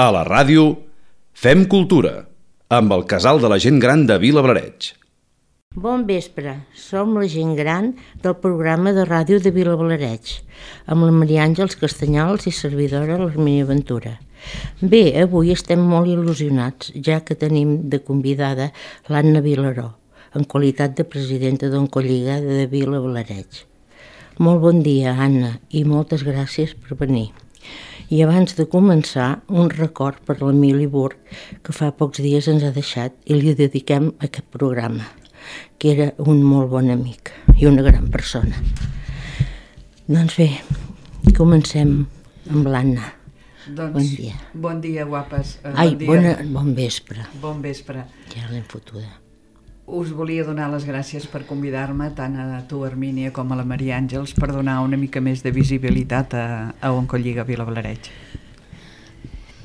A la ràdio, Fem Cultura, amb el Casal de la Gent Gran de Vilablareix. Bon vespre, som la gent gran del programa de ràdio de Vilablareix, amb la Maria Àngels Castanyols i servidora l'Hermínia Ventura. Bé, avui estem molt il·lusionats, ja que tenim de convidada l'Anna Vilaró, en qualitat de presidenta d'Oncolliga de Vilablareix. Molt bon dia, Anna, i moltes gràcies per venir. I abans de començar, un record per l'Emili Burg, que fa pocs dies ens ha deixat i li dediquem aquest programa, que era un molt bon amic i una gran persona. Doncs bé, comencem amb l'Anna. Bon dia. Bon dia, guapes. Bon vespre. Bon vespre. Ja l'hem fotuda. Us volia donar les gràcies per convidar-me, tant a tu, Hermínia, com a la Maria Àngels, per donar una mica més de visibilitat a Oncolliga Vilablareix.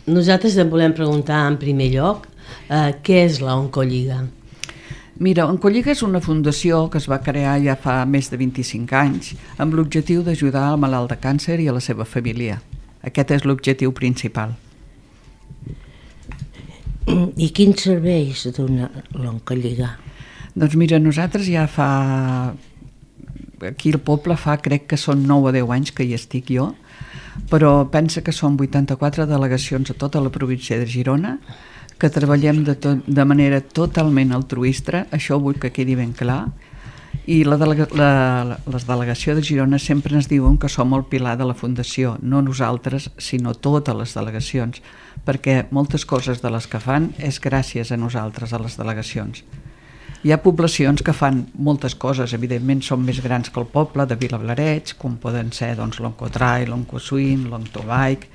Nosaltres et volem preguntar en primer lloc què és la Oncolliga? Mira, Oncolliga és una fundació que es va crear ja fa més de 25 anys amb l'objectiu d'ajudar al malalt de càncer i a la seva família. Aquest és l'objectiu principal. I quins serveis dona l'Oncolliga? Doncs mira, nosaltres ja aquí al poble crec que són 9 o 10 anys que hi estic jo, però pensa que són 84 delegacions a tota la província de Girona, que treballem de manera totalment altruista, això vull que quedi ben clar, i les delegacions de Girona sempre ens diuen que som el pilar de la fundació, no nosaltres, sinó totes les delegacions, perquè moltes coses de les que fan és gràcies a nosaltres, a les delegacions. Hi ha poblacions que fan moltes coses, evidentment són més grans que el poble de Vilablareix, com poden ser l'Oncotrail, l'Oncoswim, l'Oncobike,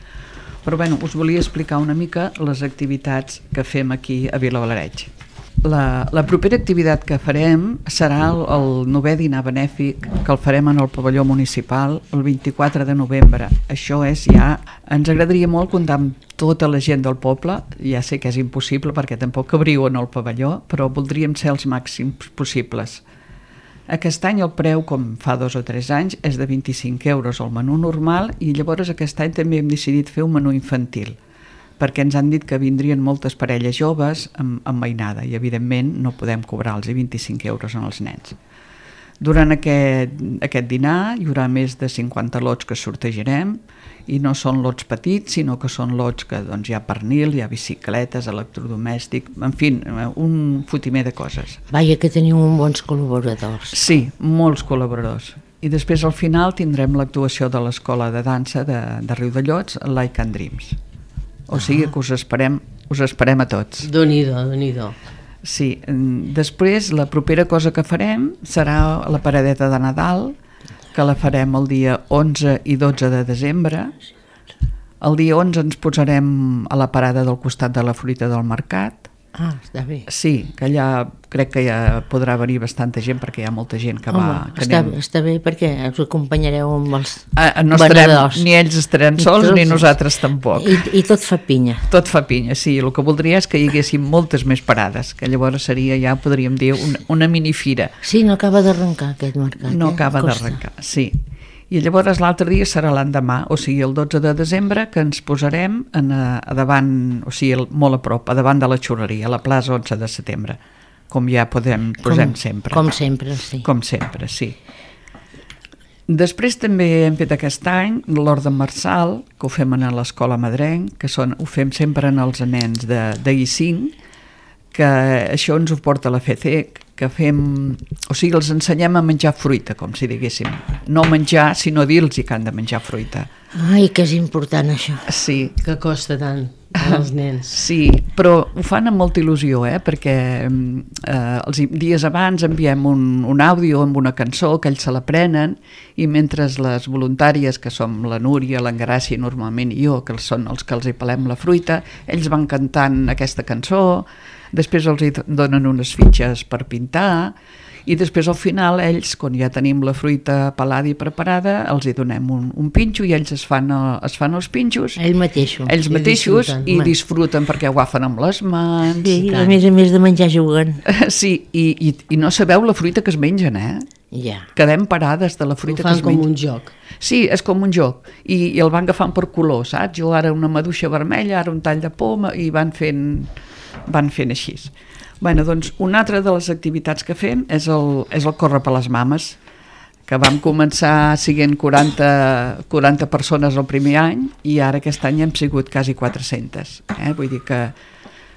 però us volia explicar una mica les activitats que fem aquí a Vilablareix. La propera activitat que farem serà el 9è dinar benèfic, que el farem en el pavelló municipal el 24 de novembre. Això és ja... Ens agradaria molt comptar amb tota la gent del poble, ja sé que és impossible perquè tampoc cabríeu en el pavelló, però voldríem ser els màxims possibles. Aquest any el preu, com fa 2 o 3 anys, és de 25 euros el menú normal i llavors aquest any també hem decidit fer un menú infantil, perquè ens han dit que vindrien moltes parelles joves amb mainada i evidentment no podem cobrar els 25 euros als nens. Durant aquest dinar hi haurà més de 50 lots que sortejarem i no són lots petits, sinó que són lots que hi ha pernil, hi ha bicicletes, electrodomèstic, en fi, un fotimer de coses. Vaja que teniu bons col·laboradors. Sí, molts col·laboradors. I després al final tindrem l'actuació de l'escola de dansa de Riudellots, Like and Dreams. O sigui que us esperem a tots. Déu-n'hi-do. Sí, després la propera cosa que farem serà la paradeta de Nadal, que la farem el dia 11 i 12 de desembre. El dia 11 ens posarem a la parada del costat de la fruita del mercat. Ah, està bé. Sí, que allà crec que ja podrà venir bastanta gent perquè hi ha molta gent que va... Està bé perquè us acompanyareu amb els no venedors. Ni ells estaran sols ni nosaltres tampoc. I tot fa pinya. Tot fa pinya, sí. El que voldria és que hi haguessin moltes més parades, que llavors seria ja, podríem dir, una minifira. Sí, no acaba d'arrencar aquest mercat. No acaba d'arrencar, sí. I llavors l'altre dia serà l'endemà, o sigui el 12 de desembre, que ens posarem a davant, o sigui molt a prop, a davant de la xurreria, a la plaça 11 de setembre, com ja posem sempre. Com sempre, sí. Com sempre, sí. Després també hem fet aquest any l'Orde Marçal, que ho fem a l'Escola Madrenc, que ho fem sempre en els nens de I5, que això ens ho porta la FECEC, que els ensenyem a menjar fruita, com si diguéssim. No menjar, sinó dir-los que han de menjar fruita. Ai, que és important això. Sí. Que costa tant als nens. Sí, però ho fan amb molta il·lusió, perquè els dies abans enviem un àudio amb una cançó que ells se l'aprenen i mentre les voluntàries, que som la Núria, l'Engràcia normalment i jo, que són els que els hi pelem la fruita, ells van cantant aquesta cançó. Després els donen unes fitxes per pintar i després al final ells, quan ja tenim la fruita pelada i preparada, els hi donem un pinxo i ells es fan els pinxos. Ells mateixos i disfruten perquè ho agafen amb les mans. Sí, a més de menjar juguen. Sí, i no sabeu la fruita que es mengen, Ja. Quedem parades de la fruita Ho que fan es com menja. un joc. Sí, és com un joc, i el van agafant per color, saps? Jo ara una maduixa vermella, ara un tall de poma, i van fent així. Bueno, doncs una altra de les activitats que fem és el córrer per les mames, que vam començar siguent 40 persones el primer any, i ara aquest any hem sigut quasi 400. Vull dir que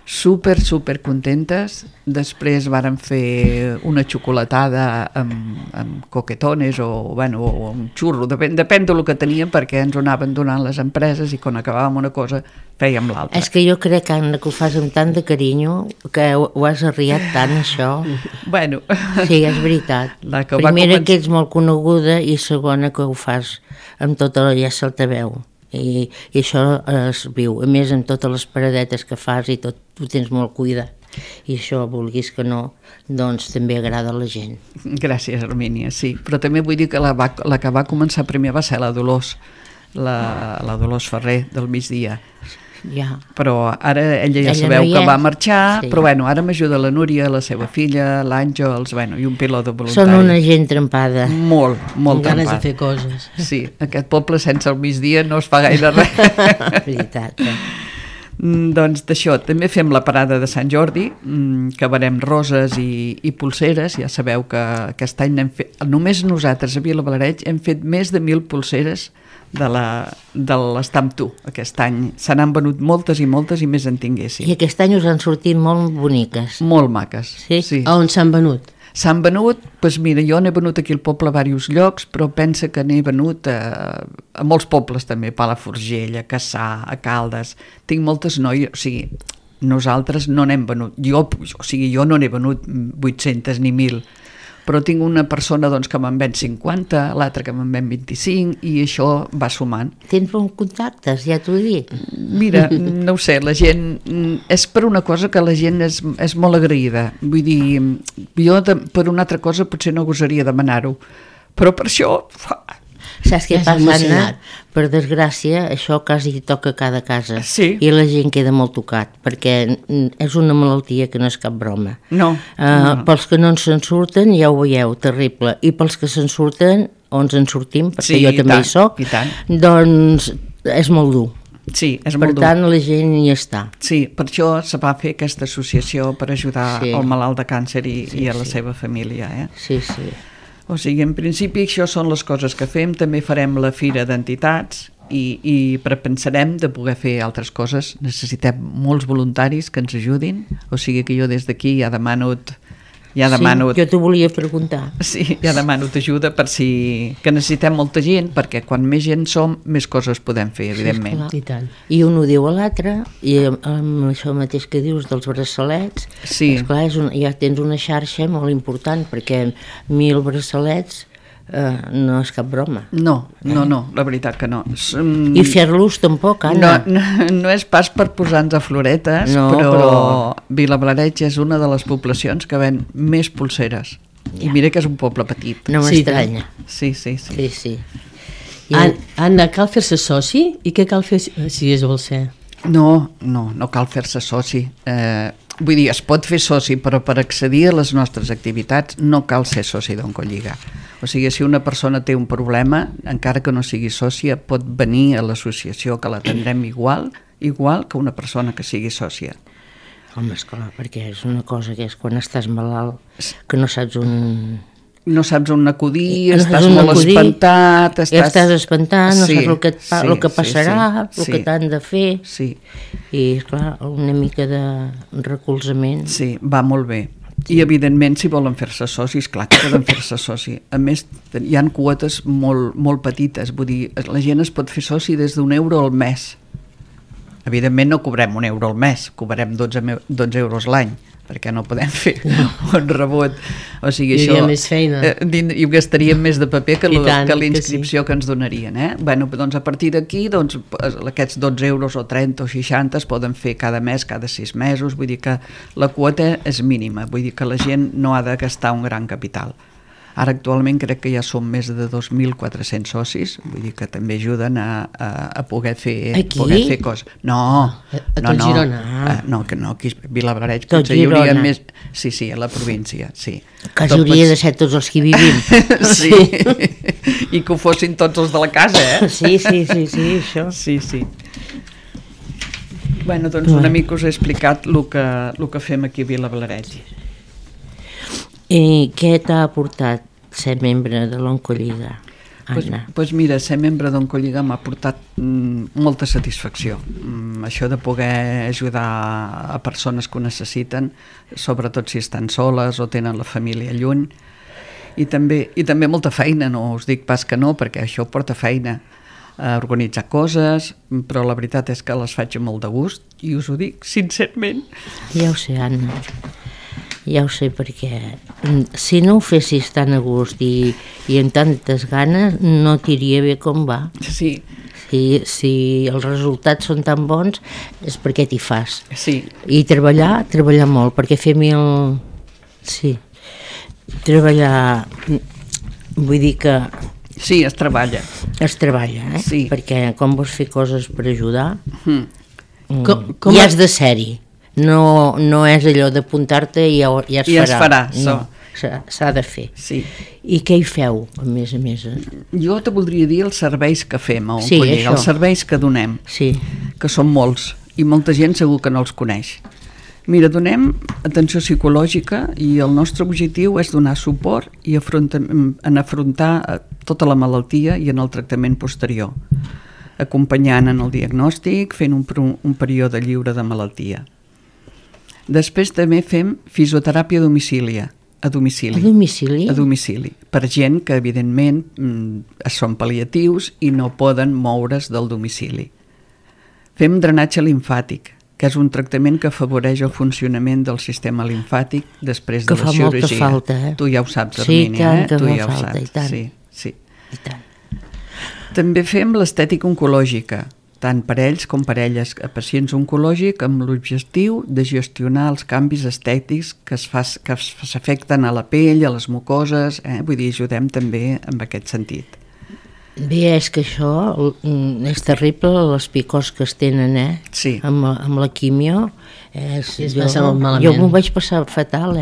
super contentes. Després vàrem fer una xocolatada amb coquetones o un xurro, depèn del que teníem, perquè ens ho anaven donant les empreses, i quan acabàvem una cosa fèiem l'altra. És que jo crec, Anna, que ho fas amb tant de carinyo, que ho has arriat tant, això. Bueno. Sí, és veritat. Primera, que ets molt coneguda, i segona, que ho fas amb tota la ja se'l te veu. I això es viu. A més, amb totes les paradetes que fas i tot, ho tens molt cuidat. I això, vulguis que no, doncs també agrada a la gent. Gràcies, Hermínia, sí. Però també vull dir que la que va començar primer va ser la Dolors, la Dolors Ferrer, del migdia. Ja. Però ara ella sabeu que va marxar, sí. Però bueno, ara m'ajuda la Núria, la seva filla, l'Àngels, i un pilot de voluntari. Són una gent trempada. Molt trempada. Ganes de fer coses. Sí, aquest poble sense el migdia no es fa gaire res. Veritat. Doncs d'això, també fem la parada de Sant Jordi, que venem roses i polseres. Ja sabeu que aquest any n'hem fet, només nosaltres a Vilablareix hem fet més de 1.000 polseres de l'Estamp Tu. Aquest any se n'han venut moltes i més en tinguéssim. I aquest any us han sortit molt boniques. Molt maques. Sí? A on s'han venut? S'han venut, doncs mira, jo n'he venut aquí al poble a diversos llocs, però pensa que n'he venut a molts pobles també, a Palafrugell, a Cassà, a Caldes. Tinc moltes noies, o sigui, nosaltres no n'hem venut. Jo no n'he venut 800 ni 1.000, però tinc una persona doncs, que me'n ven 50, l'altra que me'n ven 25, i això va sumant. Tens bons contactes, ja t'ho dic. Mira, no ho sé, la gent... És per una cosa que la gent és molt agraïda. Vull dir, jo per una altra cosa potser no gosaria demanar-ho, però per això... Saps què passa, Anna? Per desgràcia, això quasi toca a cada casa. Sí. I la gent queda molt tocat, perquè és una malaltia que no és cap broma. No. Pels que no se'n surten, ja ho veieu, terrible. I pels que se'n surten, o ens en sortim, perquè jo també hi soc, doncs és molt dur. Sí, és molt dur. Per tant, la gent hi està. Sí, per això se va fer aquesta associació per ajudar el malalt de càncer i a la seva família. Sí, sí. O sigui, en principi això són les coses que fem. També farem la fira d'entitats i pensarem de poder fer altres coses. Necessitem molts voluntaris que ens ajudin, o sigui que jo des d'aquí ja demano... Sí, jo t'ho volia preguntar. Sí, ja demano ajuda per si... que necessitem molta gent, perquè quan més gent som, més coses podem fer, evidentment. I tant. I un ho diu a l'altre, i amb això mateix que dius dels braçalets, esclar, ja tens una xarxa molt important, perquè 1.000 braçalets no és cap broma. No, la veritat que no. I fer-los tampoc, Anna. No és pas per posar-nos a floretes, però Vilablareix és una de les poblacions que ven més polseres. I mira que és un poble petit. No m'estranya. Sí. Anna, cal fer-se soci? I què cal fer si es vol ser? No cal fer-se soci. Vull dir, es pot fer soci, però per accedir a les nostres activitats no cal ser soci d'Oncolliga. O sigui, si una persona té un problema, encara que no sigui sòcia, pot venir a l'associació, que l'atendrem igual que una persona que sigui sòcia. Home, esclar, perquè és una cosa que és quan estàs malalt, que no saps on... No saps on acudir, estàs molt espantat... Estàs espantat, no saps el que passarà, el que t'han de fer... Sí. I, esclar, una mica de recolzament... Sí, va molt bé. I, evidentment, si volen fer-se socis, clar que poden fer-se soci. A més, hi ha quotes molt petites, vull dir, la gent es pot fer soci des d'1 euro al mes. Evidentment no cobrem 1 euro al mes, cobrem 12 euros l'any, perquè no podem fer un rebot. O sigui, hi hauria més feina. I gastaríem més de paper que la inscripció que ens donarien. Bueno, doncs a partir d'aquí, aquests 12 euros o 30 o 60 es poden fer cada mes, cada 6 mesos, vull dir que la quota és mínima, vull dir que la gent no ha de gastar un gran capital. Ara actualment crec que ja són més de 2.400 socis, vull dir que també ajuden a poder fer coses. No, Girona. no, que no, aquí a Vilablareix Tot Girona. més... Sí, a la província, sí. Quasi hauria de ser tots els que hi vivim. Sí, i que ho fossin tots els de la casa, Sí, això. Sí. Bueno, doncs una mica us he explicat el que fem aquí a Vilablareix. I què t'ha aportat ser membre de l'Oncolliga, Anna? Pues mira, ser membre d'Oncolliga m'ha portat molta satisfacció. Això de poder ajudar a persones que ho necessiten, sobretot si estan soles o tenen la família lluny, i també molta feina, no us dic pas que no, perquè això porta feina, a organitzar coses, però la veritat és que les faig amb molt de gust, i us ho dic sincerament. Ja ho sé, Anna. Ja ho sé, perquè si no ho fessis tan a gust i amb tantes ganes, no t'iria bé com va. Sí. Si els resultats són tan bons és perquè t'hi fas. Sí. I treballar molt, perquè fer Sí, treballar... Vull dir que... Sí, es treballa. Es treballa, Sí. Perquè quan vols fer coses per ajudar, Com ja has de ser-hi. No és allò d'apuntar-te i ja es farà. Ja es farà, no, s'ha de fer. Sí. I què hi feu, a més a més? Jo te voldria dir els serveis que fem a Sí, Oncolliga, això. els serveis que donem, Sí. que són molts, i molta gent segur que no els coneix. Mira, donem atenció psicològica i el nostre objectiu és donar suport i en afrontar tota la malaltia i en el tractament posterior, acompanyant en el diagnòstic, fent un període lliure de malaltia. Després també fem fisioteràpia a domicili. A domicili? A domicili, per gent que evidentment són pal·liatius i no poden moure's del domicili. Fem drenatge limfàtic, que és un tractament que afavoreix el funcionament del sistema limfàtic després de la cirurgia. Que fa molta falta, Tu ja ho saps, Sí, Hermínia, tant, que tu fa ja ho falta, saps. i tant. Sí. I tant. També fem l'estètica oncològica, tant per ells com per elles a pacients oncològics, amb l'objectiu de gestionar els canvis estètics que s'afecten a la pell, a les mucoses, vull dir, ajudem també en aquest sentit. Bé, és que això és terrible, les picors que es tenen, Sí. amb la quimio. es passa molt malament. Jo m'ho vaig passar fatal,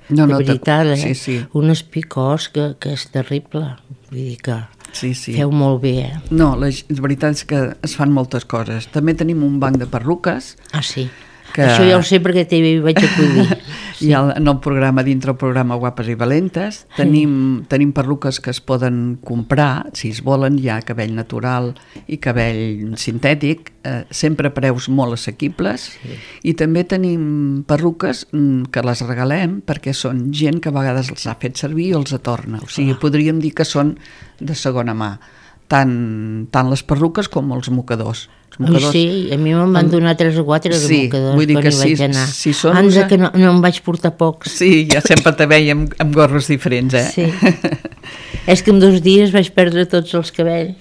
No, de veritat, sí. Unes picors que és terrible. Vull dir que Sí. feu molt bé, No, la veritat és que es fan moltes coses. També tenim un banc de perruques. Ah, sí. Que- Això ja ho sé perquè t'hi vaig acudir. Sí. I en el programa, dintre el programa Guapes i Valentes, tenim perruques que es poden comprar, si es volen, hi ha cabell natural i cabell sintètic, sempre a preus molt assequibles, i també tenim perruques que les regalem perquè són gent que a vegades els ha fet servir i els atorna, o sigui, podríem dir que són de segona mà, tant les perruques com els mocadors. Sí, a mi me'n van donar 3 o 4 de mocadors vull dir que quan hi vaig anar. si són Anda, que no em vaig portar pocs. Sí, ja sempre te veiem amb gorros diferents, Sí. És que en 2 dies vaig perdre tots els cabells.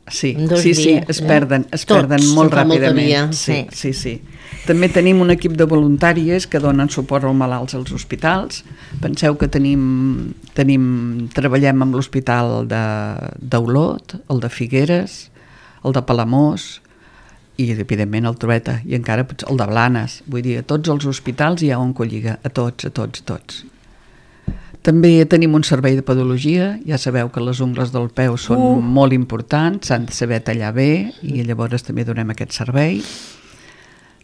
Sí, En 2 sí, dies, es perden Tots, molt fa molta ràpidament. via. Sí. També tenim un equip de voluntàries que donen suport als malalts als hospitals. Penseu que treballem amb l'hospital d'Olot, el de Figueres, el de Palamós i, evidentment, el Trueta, i encara el de Blanes. Vull dir, a tots els hospitals hi ha Oncolliga, a tots. També tenim un servei de podologia, ja sabeu que les ungles del peu són molt importants, s'han de saber tallar bé, i llavors també donem aquest servei.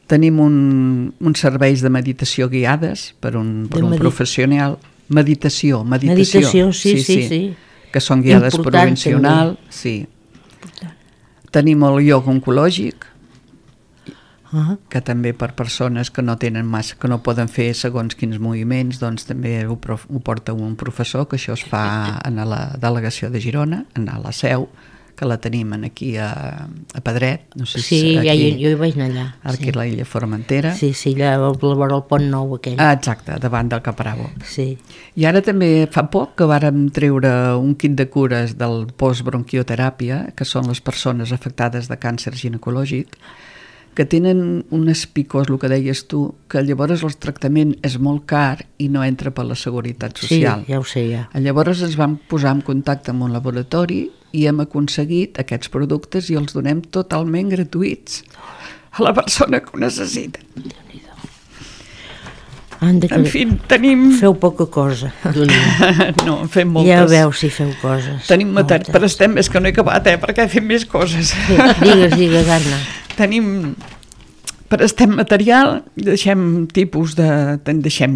Tenim uns serveis de meditació guiades per un professional. Meditació, sí. que són guiades per un Important, professional. Sí. Tenim el ioga oncològic, que també per persones que no tenen massa, que no poden fer segons quins moviments, doncs també ho porta un professor, que això es fa a la delegació de Girona, a la seu, que la tenim aquí a Pedret. No sé Sí, aquí, jo hi vaig anar allà. aquí a la illa Formentera. Sí, allà a vora el pont nou aquell. Exacte, davant del Capravo. Sí. I ara també fa poc que vàrem treure un kit de cures del postbronquioteràpia, que són les persones afectades de càncer ginecològic, que tenen un espicós, el que deies tu, que llavors el tractament és molt car i no entra per la Seguretat Social. Sí, ja ho sé, ja. Llavors ens vam posar en contacte amb un laboratori i hem aconseguit aquests productes i els donem totalment gratuïts a la persona que ho necessita. En fi, tenim... Feu poca cosa. No, en fem moltes. Ja veus si feu coses. Tenim matèria, però estem, és que no he acabat, perquè fem més coses. Sí, digues, Anna. Prestem material, deixem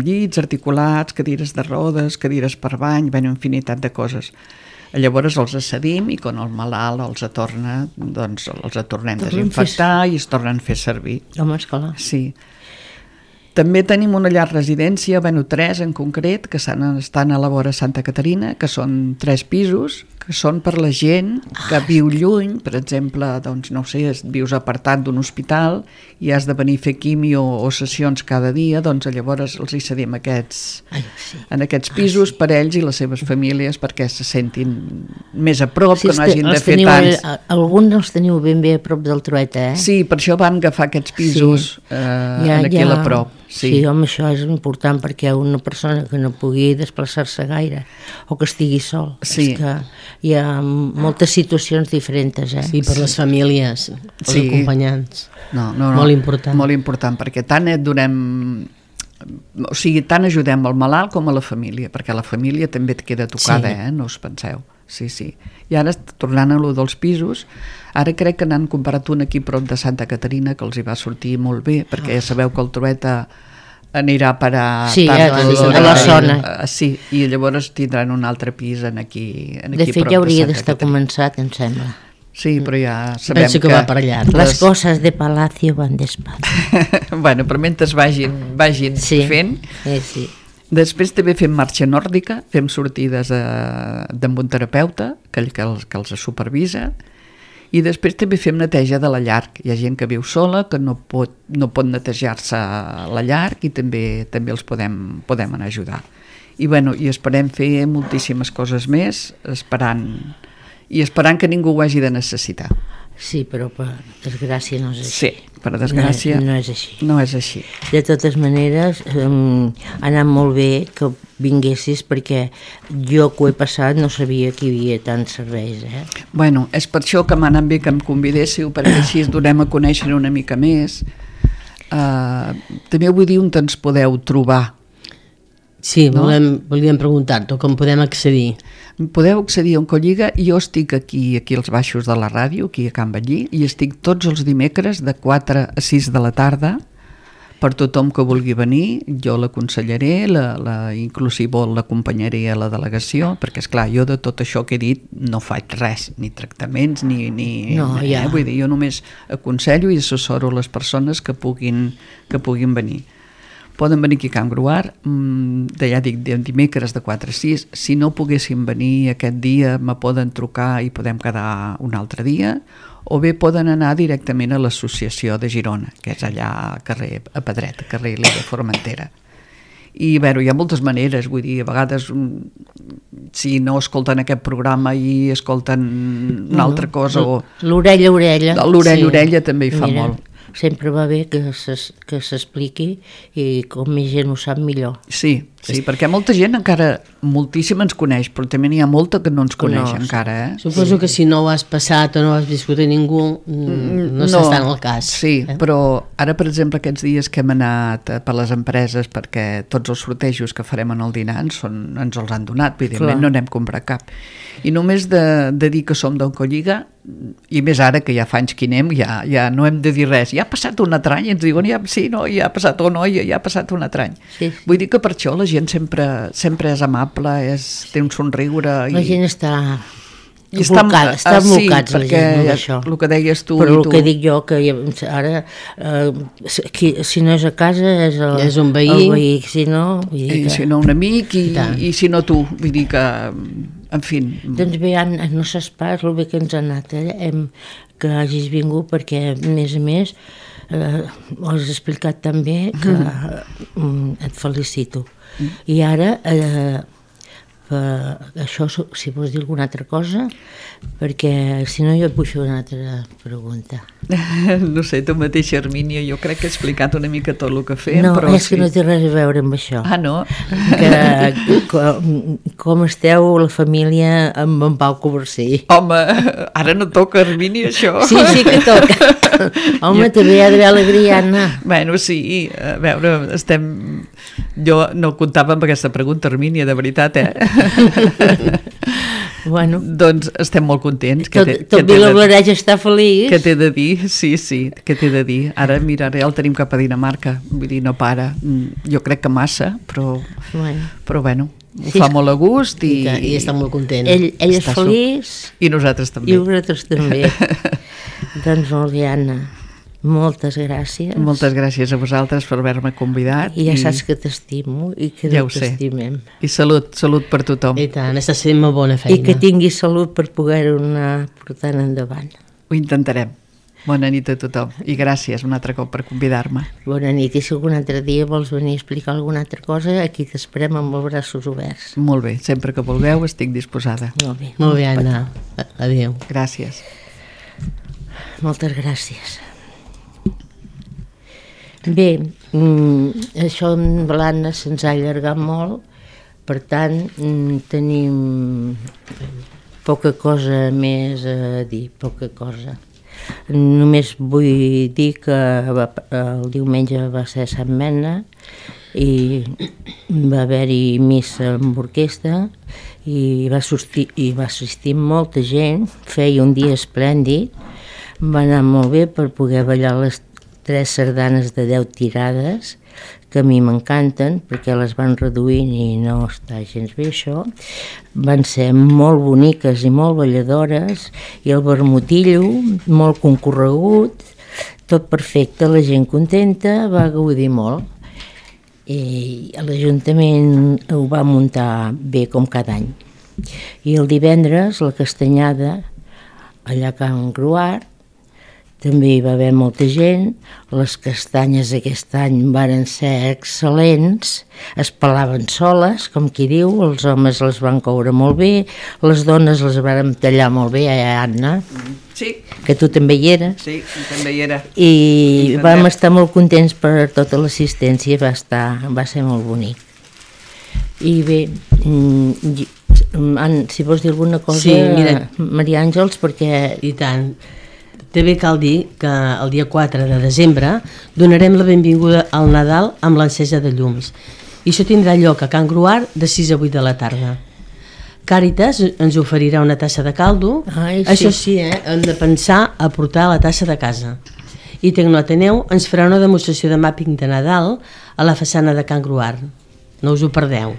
llits, articulats, cadires de rodes, cadires per bany, una infinitat de coses. Llavors els cedim i quan el malalt els torna, doncs els tornem a desinfectar i es tornen a fer servir. Home, esclar. Sí. També tenim una llar residència, 3 en concret, que estan a la vora Santa Caterina, que són 3 pisos, que són per la gent que viu lluny, per exemple, doncs no sé, vius apartat d'un hospital i has de venir a fer quimio o sessions cada dia, doncs llavors els hi cedim en aquests pisos per ells i les seves famílies perquè se sentin més a prop, que no hagin de fer tants. Alguns els teniu ben bé a prop del Trueta, eh? Sí, per això vam agafar aquests pisos aquí a la prop. Sí, home, això és important perquè una persona que no pugui desplaçar-se gaire o que estigui sol, és que hi ha moltes situacions diferents, eh? Sí, per les famílies, els acompanyants. No, molt important. Molt important, perquè tant tant ajudem al malalt com a la família, perquè la família també et queda tocada, no us penseu. Sí. I ara, tornant a lo dels pisos, ara crec que n'han comparat un aquí prop de Santa Caterina que els hi va sortir molt bé, perquè ja sabeu que el Trueta anirà a parar a la zona. Sí, i llavors tindran un altre pis aquí de fet, ja hauria d'estar començat, em sembla. Sí, però ja sabem que va per allà. Les coses de Palacio van despacio. Bueno, però mentre vagin fent... Sí. Després també fem marxa nòrdica, fem sortides amb un terapeuta que els supervisa, i després també fem neteja de la llar. Hi ha gent que viu sola, que no pot netejar-se la llar i també els podem anar a ajudar. I esperem fer moltíssimes coses més, esperant que ningú ho hagi de necessitar. Sí, però per desgràcia no és així. Sí, per desgràcia no és així. No és així. De totes maneres, ha anat molt bé que vinguessis perquè jo que ho he passat no sabia que hi havia tants serveis. Bueno, és per això que m'ha anat bé que em convidéssiu, perquè així es donem a conèixer una mica més. També vull dir on ens podeu trobar. Sí, volíem preguntar-te com podem accedir. Podeu accedir a Oncolliga. Jo estic aquí als baixos de la ràdio, aquí a Can Ballí, i estic tots els dimecres de 4 a 6 de la tarda per tothom que vulgui venir. Jo l'aconsellaré, inclusive l'acompanyaré a la delegació, perquè esclar, jo de tot això que he dit no faig res, ni tractaments vull dir, jo només aconsello i assessoro les persones que puguin venir. Poden venir aquí a Can Gruar, ja dic, dimecres de 4 a 6. Si no poguessin venir aquest dia, me poden trucar i podem quedar un altre dia, o bé poden anar directament a l'associació de Girona, que és allà a Pedret, a carrer Lira Formentera. I hi ha moltes maneres, vull dir, a vegades si no escolten aquest programa i escolten una altra cosa l'orella a orella. L'orella a orella també hi fa molt. Sempre va bé que s'expliqui i com més gent ho sap millor. Sí, perquè molta gent encara, moltíssima ens coneix, però també n'hi ha molta que no ens coneix encara. Suposo que si no ho has passat o no ho has viscut a ningú, no s'està en el cas. Sí, però ara, per exemple, aquests dies que hem anat per les empreses, perquè tots els sortejos que farem en el dinar ens els han donat, evidentment no n'hem comprat cap. I només de dir que som d'Oncolliga, i més ara que ja fa anys que hi anem, ja no hem de dir res. Ja ha passat un altre any, ens diuen, ja ha passat un altre any. Vull dir que per això la gent sempre és amable, té un somriure. La gent està embolcats, la gent, d'això. El que deies tu. Però el que dic jo, que ara, si no és a casa, és un veí. Si no un amic, i si no tu. Vull dir que, en fi. Doncs bé, no saps pas el bé que ens ha anat, que hagis vingut, perquè, a més, ho has explicat també, que et felicito. I ara això, si vols dir alguna altra cosa, perquè si no jo et vull fer una altra pregunta. No sé, tu mateixa, Hermínia, jo crec que he explicat una mica tot el que fem, No, però és que no té res a veure amb això. Ah, no? Com esteu la família amb en Pau Coversí? Home, ara no toca, Hermínia, això. Sí que toca. Home, també hi ha d'haver alegria, Anna. Bueno, sí, a veure, jo no comptava amb aquesta pregunta, Hermínia, de veritat, Bueno, Doncs estem molt contents. tot Vilablareix està feliç. Què t'he de dir? Sí, què t'he de dir? Ara, mira, el tenim cap a Dinamarca, vull dir, no para. Jo crec que massa, però bueno, ho fa molt a gust i està molt content. Ell és feliç. I nosaltres també. I vosaltres també. Doncs molt bé, Anna. Moltes gràcies. Moltes gràcies a vosaltres per haver-me convidat. I ja saps que t'estimo i que ja t'estimem. I salut per tothom. I tant, estàs fent molt bona feina. I que tinguis salut per poder-ho anar portant endavant. Ho intentarem. Bona nit a tothom i gràcies un altre cop per convidar-me. Bona nit, i si algun altre dia vols venir a explicar alguna altra cosa, aquí t'esperem amb els braços oberts. Molt bé, sempre que vulgueu estic disposada. Molt bé. Molt bé, Anna. Adéu. Gràcies. Moltes gràcies. Bé, això amb l'Anna se'ns ha allargat molt, per tant tenim poca cosa més a dir, poca cosa. Només vull dir que el diumenge va ser Sant Mena i va haver-hi missa amb orquestra i va assistir molta gent, feia un dia esplèndid, va anar molt bé per poder ballar les 3 sardanes de 10 tirades, que a mi m'encanten perquè les van reduint i no està gens bé això. Van ser molt boniques i molt balladores i el vermutillo molt concorregut, tot perfecte, la gent contenta, va gaudir molt. I l'Ajuntament ho va muntar bé com cada any. I el divendres la castanyada allà a Can Gruart, també hi va haver molta gent, les castanyes aquest any varen ser excel·lents, es pelaven soles, com qui diu, els homes les van coure molt bé, les dones les van tallar molt bé, Anna? Sí. Que tu també hi eres? Sí, també hi era. I vam estar molt contents per tota l'assistència, va ser molt bonic. I bé, si vols dir alguna cosa, sí, mira, Maria Àngels, perquè... I tant. També cal dir que el dia 4 de desembre donarem la benvinguda al Nadal amb l'encesa de llums. I això tindrà lloc a Can Gruart de 6 a 8 de la tarda. Càritas ens oferirà una tassa de caldo. Ai, sí. Això sí, hem de pensar a portar la tassa de casa. I Tecnoateneu ens farà una demostració de màpping de Nadal a la façana de Can Gruart. No us ho perdeu.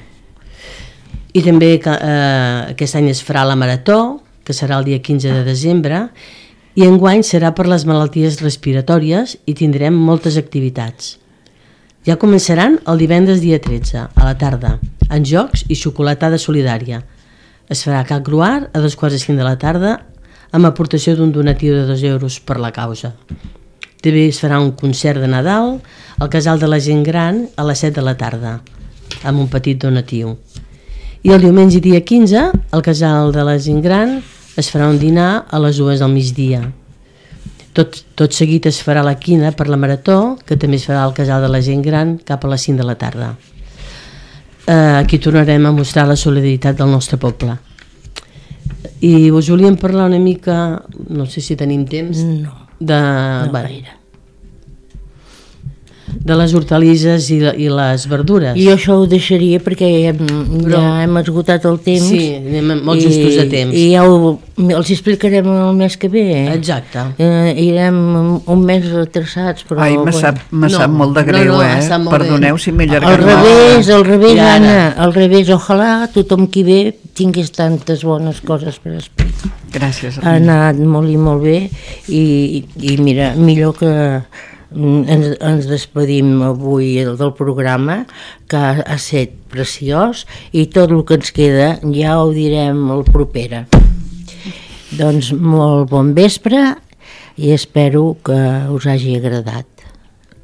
I també aquest any es farà la marató, que serà el dia 15 de desembre, i enguany serà per les malalties respiratòries i tindrem moltes activitats. Ja començaran el divendres dia 13, a la tarda, en jocs i xocolatada solidària. Es farà a Can Gruart a 2:45 de la tarda amb aportació d'un donatiu de 2 euros per la causa. També es farà un concert de Nadal al Casal de la Gent Gran a les 7 de la tarda, amb un petit donatiu. I el diumenge dia 15, al Casal de la Gent Gran, es farà un dinar a les 2 del migdia. Tot seguit es farà la quina per la marató, que també es farà al Casal de la Gent Gran cap a les 5 de la tarda. Aquí tornarem a mostrar la solidaritat del nostre poble. I us volíem parlar una mica, no sé si tenim temps, No gaire. De les hortalisses i les verdures. Jo això ho deixaria perquè ja hem esgotat el temps. Sí, anem molt justos de temps. I ja els explicarem el mes que ve. Exacte. Irem un mes retrasats, però... Ai, me sap molt de greu, Perdoneu si m'he allargat. Al revés, Anna, al revés, ojalà tothom qui ve tingués tantes bones coses per explicar. Gràcies. Ha anat molt i molt bé i mira, millor que ens despedim avui del programa, que ha estat preciós, i tot el que ens queda ja ho direm el propera. Doncs molt bon vespre i espero que us hagi agradat.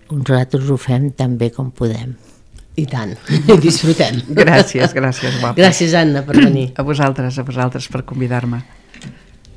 Nosaltres ho fem tan bé com podem. I tant, disfrutem. Gràcies, guapa. Gràcies, Anna, per venir. A vosaltres per convidar-me.